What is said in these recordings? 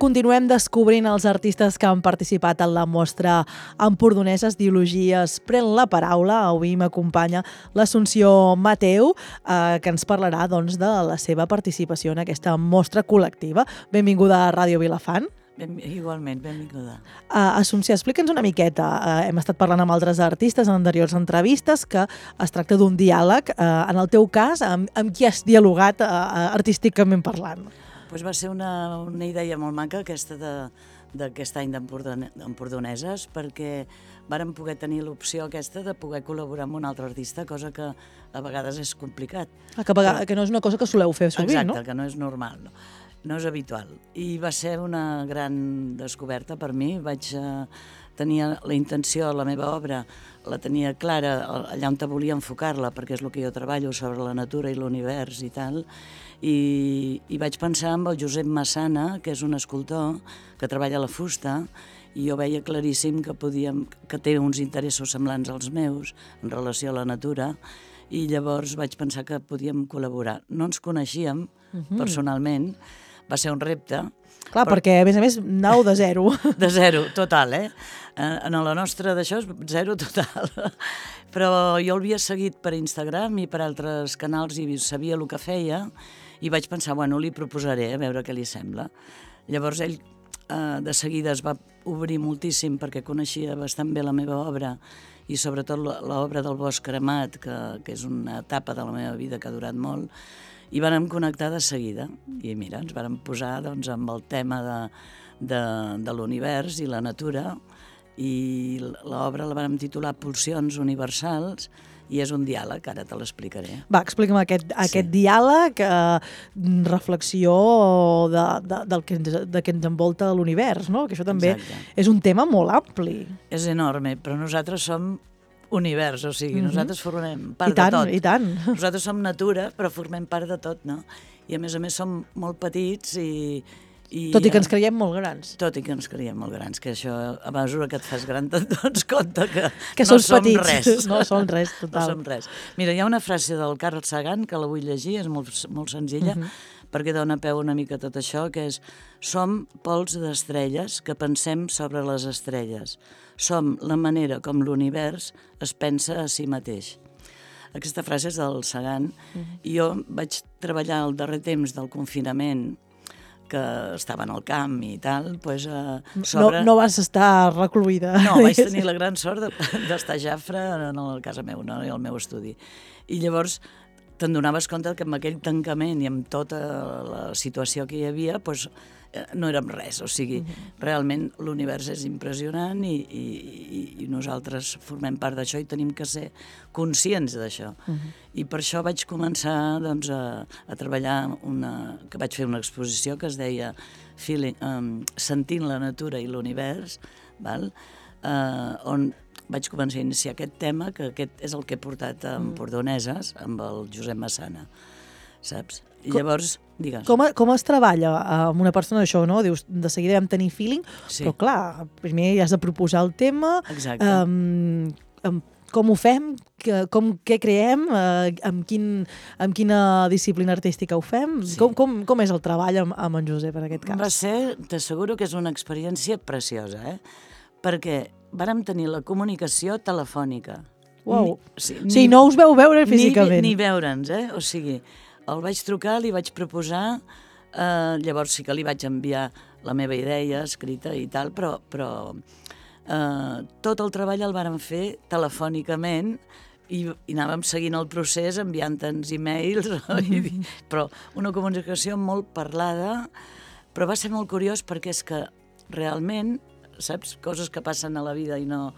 Continuem descobrint els artistes que han participat en la mostra empordoneses d'ideologies Pren la paraula. Avui m'acompanya l'Assumpció Mateu, que ens parlarà doncs, de la seva participació en aquesta mostra col·lectiva. Benvinguda a Ràdio Vilafant. Igualment, benvinguda. Assumpció, explica'ns una miqueta. Hem estat parlant amb altres artistes en anteriors entrevistes que es tracta d'un diàleg. En el teu cas, amb qui has dialogat artísticament parlant? Pues va ser una idea molt maca aquesta d'aquest any d'empordoneses, perquè vàrem poder tenir l'opció aquesta de poder col·laborar amb un altre artista, cosa que a vegades és complicat. Que no és una cosa que soleu fer sovint, no? Exacte, que no és normal, no és habitual. I va ser una gran descoberta per mi. Tenia la intenció, la meva obra, la tenia clara allà on volia enfocar-la, perquè és el que jo treballo sobre la natura i l'univers i tal, i vaig pensar en el Josep Massana, que és un escultor que treballa la fusta, i jo veia claríssim que té uns interessos semblants als meus en relació a la natura, i llavors vaig pensar que podíem col·laborar. No ens coneixíem personalment, va ser un repte. Clar, perquè a més nau de zero. De zero, total, En la nostra d'això és zero total. Però jo el havia seguit per Instagram i per altres canals i sabia el que feia, i vaig pensar, bueno, li proposaré, a veure què li sembla. Llavors ell de seguida es va obrir moltíssim perquè coneixia bastant bé la meva obra i sobretot l'obra del Bosc Cremat, que és una etapa de la meva vida que ha durat molt, i vàrem connectar de seguida. I mira, ens vàrem posar amb el tema de l'univers i la natura, i l'obra la vàrem titular Pulsions universals, i és un diàleg, ara te l'explicaré. Va, explica'm aquest diàleg, reflexió del que ens envolta l'univers, no? Que això també és un tema molt ampli. És enorme, però nosaltres som univers, o sigui, nosaltres formem part de tot. I tant. Nosaltres som natura, però formem part de tot, no? I a més som molt petits i tot i que ens creiem molt grans. Tot i que ens creiem molt grans, que això, a mesura que et fas gran, te'n dones compte que no som petits. Res. No som res, total. No som res. Mira, hi ha una frase del Carl Sagan, que la vull llegir, és molt senzilla, perquè dona peu una mica a tot això, que és: som pols d'estrelles que pensem sobre les estrelles. Som la manera com l'univers es pensa a si mateix. Aquesta frase és del Sagan, i jo vaig treballar el darrer temps del confinament, que estava en el camp i tal, doncs sobre... No vas estar recluïda. No, vaig tenir la gran sort d'estar a Jafre a la casa meu, no? I al meu estudi. I llavors te'n donaves compte que amb aquell tancament i amb tota la situació que hi havia, doncs no érem res. O sigui, realment l'univers és impressionant i nosaltres formem part d'això i tenim que ser conscients d'això. I per això vaig començar a treballar, que vaig fer una exposició que es deia Sentint la natura i l'univers, on vaig començar a iniciar aquest tema, que aquest és el que he portat a Empordoneses amb el Josep Massana, saps? I llavors, digues. Com es treballa amb una persona d'això, no? Dius, de seguida vam tenir feeling, però clar, primer has de proposar el tema, com ho fem, què creem, amb quina disciplina artística ho fem, com és el treball amb en Josep en aquest cas? Va ser, t'asseguro que és una experiència preciosa, perquè vàrem tenir la comunicació telefònica. Uau, sí, no us veu veure físicament. Ni veure'ns, o sigui, el vaig trucar, li vaig proposar, llavors sí que li vaig enviar la meva idea escrita i tal, però tot el treball el vàrem fer telefònicament i anàvem seguint el procés enviant-nos e-mails, però una comunicació molt parlada, però va ser molt curiós perquè és que realment, saps, coses que passen a la vida i no,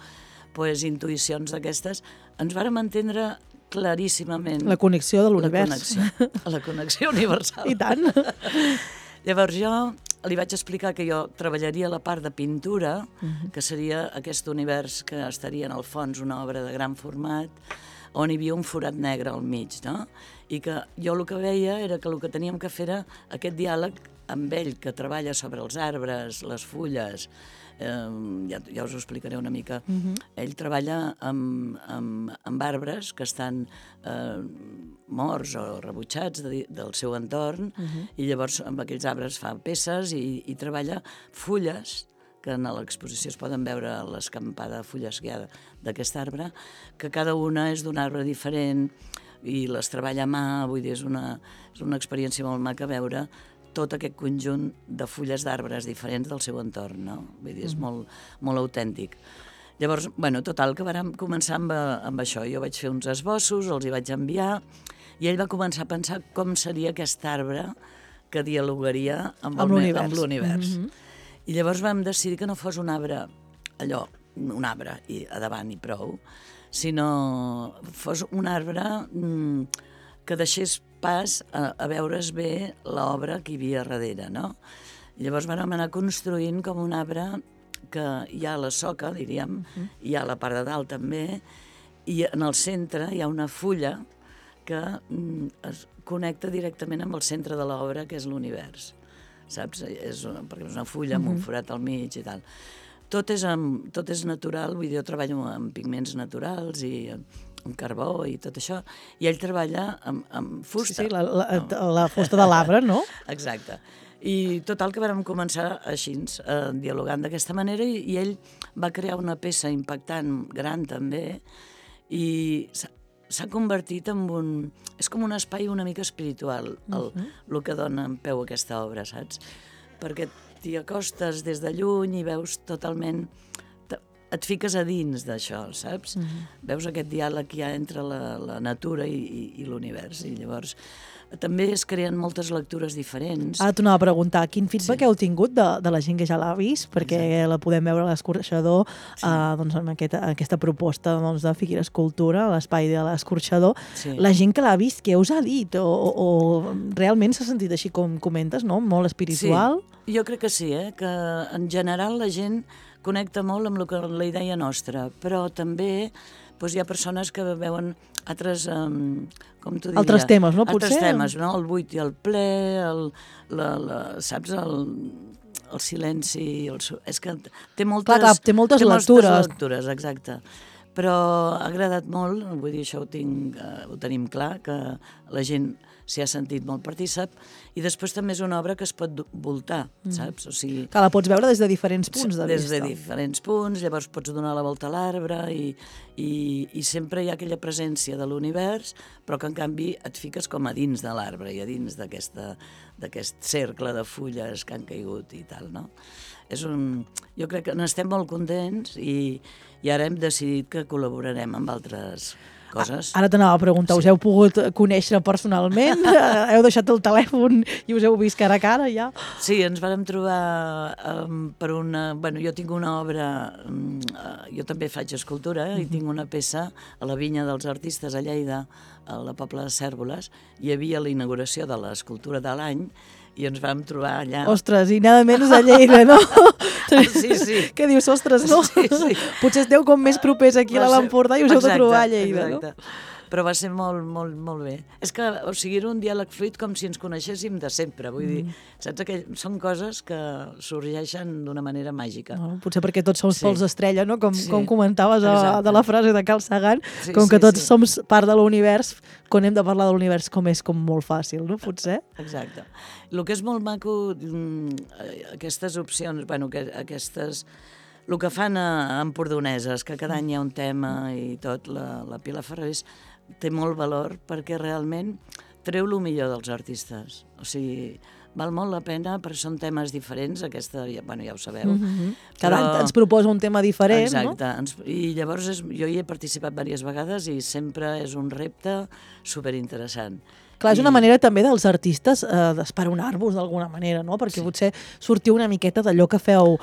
doncs intuïcions d'aquestes, ens vàrem entendre claríssimament. La connexió de l'univers. La connexió universal. I tant. Llavors jo li vaig explicar que jo treballaria la part de pintura, que seria aquest univers que estaria en el fons una obra de gran format, on hi havia un forat negre al mig, no? I que jo el que veia era que el que teníem que fer era aquest diàleg amb ell, que treballa sobre els arbres, les fulles, ja us ho explicaré una mica. Ell treballa amb arbres que estan morts o rebutjats del seu entorn, i llavors amb aquells arbres fa peces i treballa fulles, que en l'exposició es poden veure l'escampada de fulles que hi ha d'aquest arbre, que cada una és d'un arbre diferent i les treballa a mà, vull dir, és una experiència molt maca veure tot aquest conjunt de fulles d'arbres diferents del seu entorn, no? Vull dir, és molt, molt autèntic. Llavors, bueno, total, que vam començar amb això. Jo vaig fer uns esbossos, els hi vaig enviar, i ell va començar a pensar com seria aquest arbre que dialogaria amb l'univers. I llavors vam decidir que no fos un arbre, allò, un arbre i a davant i prou, sinó fos un arbre que deixés pas a veure's bé l'obra que hi havia darrere, no? Llavors vam anar construint com un arbre que hi ha a la soca, diríem, hi ha a la part de dalt també, i en el centre hi ha una fulla que es connecta directament amb el centre de l'obra, que és l'univers, saps? Perquè és una fulla amb un forat al mig i tal. Tot és natural, vull dir, jo treballo amb pigments naturals i amb carbó i tot això, i ell treballa amb fusta. Sí, la fusta de l'arbre, no? Exacte. I total que vam començar així, dialogant d'aquesta manera, i ell va crear una peça impactant, gran també, i s'ha convertit en un... És com un espai una mica espiritual, el que dona en peu aquesta obra, saps? Perquè t'hi acostes des de lluny i veus totalment... Et fiques a dins d'això, saps? Veus aquest diàleg que hi ha entre la natura i l'univers, i llavors també es creen moltes lectures diferents. Ara t'ho anava a preguntar, quin feedback heu tingut de la gent que ja l'ha vist? Perquè la podem veure a l'Escorxador, doncs, amb aquesta proposta de Figuera Escultura, a l'espai de l'Escorxador. La gent que l'ha vist, què us ha dit? O realment s'ha sentit així com comentes, no? Molt espiritual? Sí, jo crec que sí, que en general la gent connecta molt amb la idea nostra, però també hi ha persones que veuen altres, com t'ho diria? Altres temes, no? Altres temes, no? El buit i el ple, saps? El silenci... És que té moltes... Clar, té moltes lectures. Exacte. Però ha agradat molt, vull dir, això ho tenim clar, que la gent s'hi ha sentit molt partícip, i després també és una obra que es pot voltar, saps? O sigui, que la pots veure des de diferents punts de vista. Des de diferents punts, llavors pots donar la volta a l'arbre i sempre hi ha aquella presència de l'univers, però que en canvi et fiques com a dins de l'arbre i a dins d'aquest cercle de fulles que han caigut i tal, no? Jo crec que n'estem molt contents i ara hem decidit que col·laborarem amb altres coses. Ara t'anava a preguntar, us heu pogut conèixer personalment? Heu deixat el telèfon i us heu vist cara a cara ja? Sí, ens vam trobar per una... Bueno, jo tinc una obra, jo també faig escultura i tinc una peça a la Vinya dels Artistes a Lleida, a la Pobla de Cérvoles. Hi havia la inauguració de l'escultura de l'any i ens vam trobar allà... Ostres, i nada menys a Lleida, no? Sí. Què dius, ostres, no? Sí. Potser esteu com més propers aquí a l'Empordà i us heu de trobar a Lleida, no? Però va ser molt, molt, molt bé. És que, o sigui, era un diàleg fluid com si ens coneixéssim de sempre, vull dir, saps? Són coses que sorgeixen d'una manera màgica. No, potser perquè tots som sols estrella, no? Com comentaves de la frase de Carl Sagan, com que tots som part de l'univers, quan hem de parlar de l'univers com és com molt fàcil, no? Potser? Exacte. El que és molt maco, aquestes opcions, bueno, aquestes... El que fan a Empordoneses, que cada any hi ha un tema i tot, la Pilar Ferrés té molt valor perquè realment treu el millor dels artistes. O sigui, val molt la pena perquè són temes diferents, aquesta, bueno, ja ho sabeu. Cada any ens proposa un tema diferent, no? Exacte. I llavors jo hi he participat diverses vegades i sempre és un repte superinteressant. Clar, és una manera també dels artistes d'esperonar-vos d'alguna manera, no? Perquè potser sortiu una miqueta d'allò que feu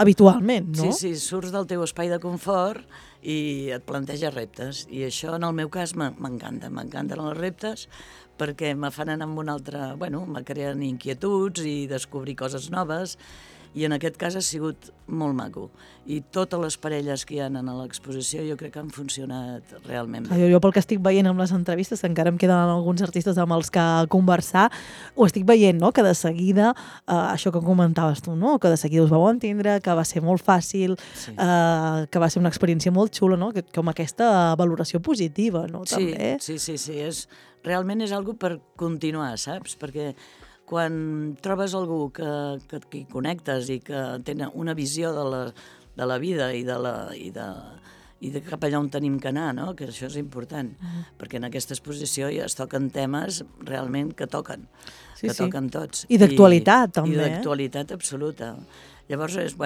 habitualment, no? Sí, surts del teu espai de confort i et planteja reptes. I això, en el meu cas, m'encanta. M'encanten els reptes perquè me fan anar amb un altre... Bueno, me creen inquietuds i descobrir coses noves I en aquest cas ha sigut molt maco. I totes les parelles que hi ha en l'exposició jo crec que han funcionat realment bé. Jo pel que estic veient amb les entrevistes, que encara em queden alguns artistes amb els que conversar, ho estic veient, no? Que de seguida, això que comentaves tu, no? Que de seguida us vau entendre, que va ser molt fàcil, sí. Que va ser una experiència molt xula, no? Com aquesta valoració positiva, no? També. Sí. Realment és algo per continuar, saps? Perquè quan trobes algú que hi connectes i que té una visió de la vida i de cap allà on tenim que anar, no? Que això és important, perquè en aquesta exposició ja es toquen temes realment que toquen, toquen tots. I d'actualitat, també. I d'actualitat absoluta. Llavors és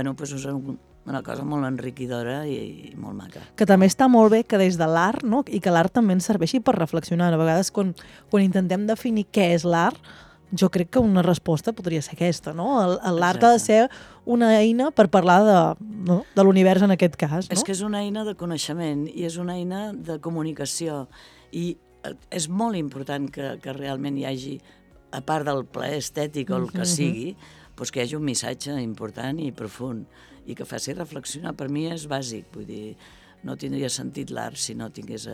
una cosa molt enriquidora i molt maca. Que també està molt bé que des de l'art, no? I que l'art també ens serveixi per reflexionar. A vegades quan intentem definir què és l'art, jo crec que una resposta podria ser aquesta, no? L'art ha de ser una eina per parlar de l'univers en aquest cas, no? És que és una eina de coneixement i és una eina de comunicació i és molt important que realment hi hagi, a part del plaer estètic o el que sigui, doncs que hi hagi un missatge important i profund i que faci reflexionar. Per mi és bàsic, vull dir, no tindria sentit l'art si no tingués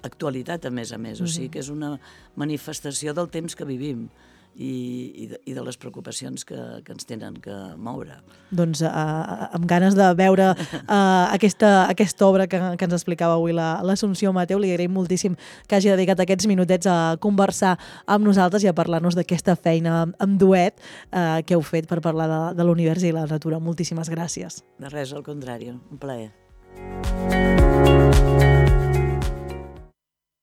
actualitat a més. O sigui que és una manifestació del temps que vivim i de les preocupacions que ens tenen que moure. Doncs amb ganes de veure aquesta obra que ens explicava avui l'Assumpció Mateu, li agraïm moltíssim que hagi dedicat aquests minutets a conversar amb nosaltres i a parlar-nos d'aquesta feina amb duet que heu fet per parlar de l'univers i la natura. Moltíssimes gràcies. De res, al contrari, un plaer.